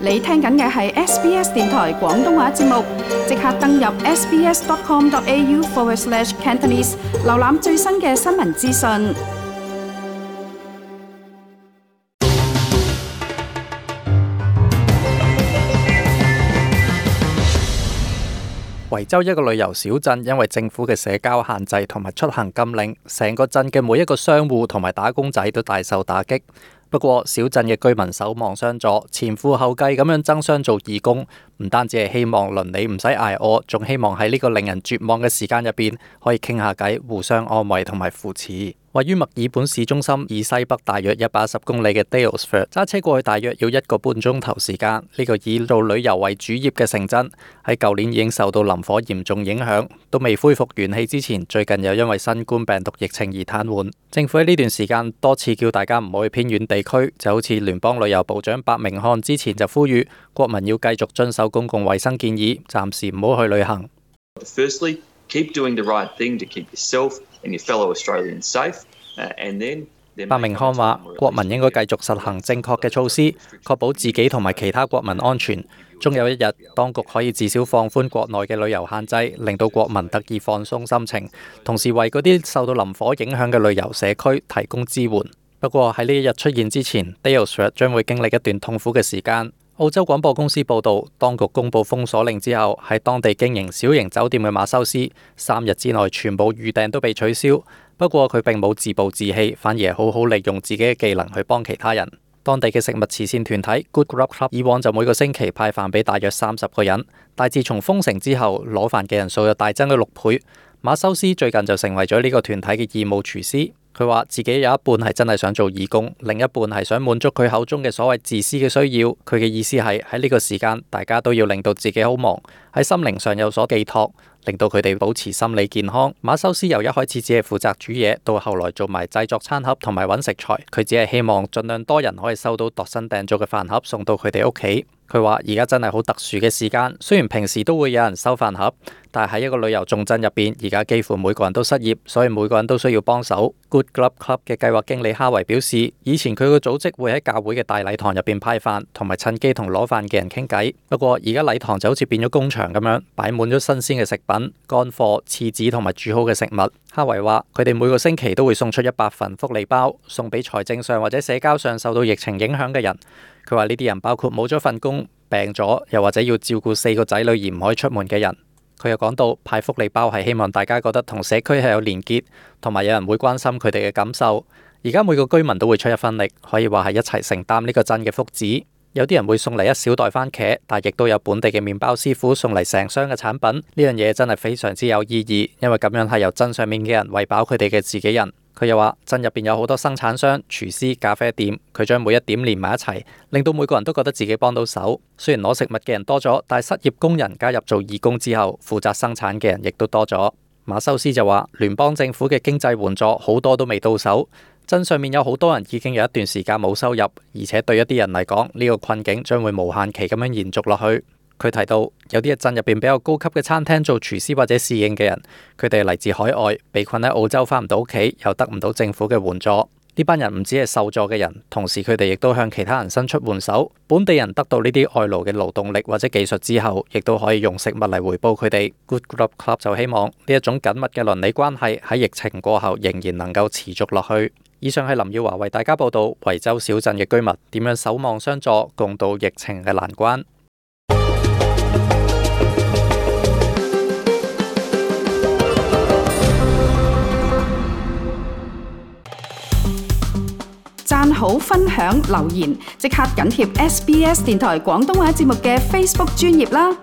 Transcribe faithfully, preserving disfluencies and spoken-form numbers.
你聽緊嘅係 S B S 電台廣東話節目，即刻登入 sbs.com.au forward slash Cantonese， 瀏覽最新嘅新聞資訊。維州一個旅遊小鎮因為政府嘅社交限制同埋出行禁令，成個鎮嘅每一個商戶同埋打工仔都大受打擊。不過小鎮嘅居民守望相助，前赴後繼咁樣爭相做義工，唔單止係希望鄰里唔使捱餓，仲希望喺呢個令人絕望嘅時間入邊可以傾下偈，互相安慰同埋扶持。位於墨爾本市中心以西北大約一百一十公里嘅 Daylesford， 揸車過去大約要一個半鐘頭時間。呢、這個以做旅遊為主業嘅城鎮喺舊年已經受到林火嚴重影響，都未恢復元氣之前，最近又因為新冠病毒疫情而癱瘓。政府喺呢段時間多次叫大家唔好去偏遠地區，就好似聯邦旅遊部長白明漢之前就呼籲國民要繼續遵守公共衛生建議，暫時唔好去旅行。Firstly, keep doing the right thing to keep yourself and your fellow Australians safe. And then 白明漢話，國民應該繼續實行正確嘅措施，確保自己同埋其他國民安全。終有一日，當局可以至少放寬國內嘅旅遊限制，令到國民得以放鬆心情，同時為嗰啲受到林火影響嘅旅遊社區提供支援。不過喺呢一日出現之前 Daylesford 將會經歷一段痛苦嘅時間。澳洲廣播公司報道，當局公布封鎖令之後，喺當地經營小型酒店嘅馬修斯，三日之內全部預訂都被取消。不過佢並冇自暴自棄，反而係好好利用自己嘅技能去幫其他人。當地嘅食物慈善團體 Good Grub Club 以往就每個星期派飯俾大約三十個人，但自從封城之後，攞飯嘅人數又大增咗六倍。馬修斯最近就成為咗呢個團體嘅義務廚師。佢話自己有一半係真係想做義工，另一半係想滿足佢口中嘅所謂自私嘅需要。佢嘅意思係喺呢個時間，大家都要令到自己好忙，喺心靈上有所寄託，令到佢哋保持心理健康。馬修斯由一開始只係負責煮嘢，到後來做埋製作餐盒同埋揾食材。佢只係希望盡量多人可以收到度身訂做嘅飯盒送到佢哋屋企。佢話而家真係好特殊嘅時間，雖然平時都會有人收飯盒，但係喺一個旅遊重鎮入邊，而家幾乎每個人都失業，所以每個人都需要幫手。Good Grub Club 嘅計劃經理哈維表示，以前佢個組織會喺教會嘅大禮堂入邊派飯，同埋趁機同攞飯嘅人傾偈。不過而家禮堂就好似變咗工場咁樣，擺滿咗新鮮嘅食品、乾貨、廁紙同埋煮好嘅食物。哈維話佢哋每個星期都會送出一百份福利包，送俾財政上或者社交上受到疫情影響嘅人。佢話呢啲人包括冇咗份工、病咗，又或者要照顧四個仔女而唔可以出門嘅人。佢又講到派福利包係希望大家覺得同社區係有連結，同埋有人會關心佢哋嘅感受。而家每個居民都會出一分力，可以話係一齊承擔呢個鎮嘅福祉。有啲人會送嚟一小袋番茄，但亦都有本地嘅麵包師傅送嚟成箱嘅產品。呢樣嘢真係非常之有意義，因為咁樣係由鎮上面嘅人餵飽佢哋嘅自己人。佢又話鎮入邊有好多生產商、廚師、咖啡店，佢將每一點連埋一齊，令到每個人都覺得自己幫到手。雖然攞食物嘅人多咗，但係失業工人加入做義工之後，負責生產嘅人亦都多咗。馬修斯就話聯邦政府嘅經濟援助好多都未到手，鎮上面有好多人已經有一段時間冇收入，而且對一啲人嚟講，呢個困境將會無限期咁樣延續落去。佢提到有啲鎮入邊比較高級嘅餐廳做廚師或者侍應嘅人，佢哋嚟自海外，被困喺澳洲翻唔到屋企，又得唔到政府嘅援助。呢班人唔止係受助嘅人，同時佢哋亦都向其他人伸出援手。本地人得到呢啲外勞嘅勞動力或者技術之後，亦都可以用食物嚟回報佢哋。Good Grub Club 就希望呢一種緊密嘅鄰里關係喺疫情過後仍然能夠持續落去。以上係林耀華為大家報道維州小鎮嘅居民點樣守望相助，共度疫情嘅難關。讚好、分享、留言，即刻緊貼 S B S 電台廣東話節目嘅 Facebook 專頁啦！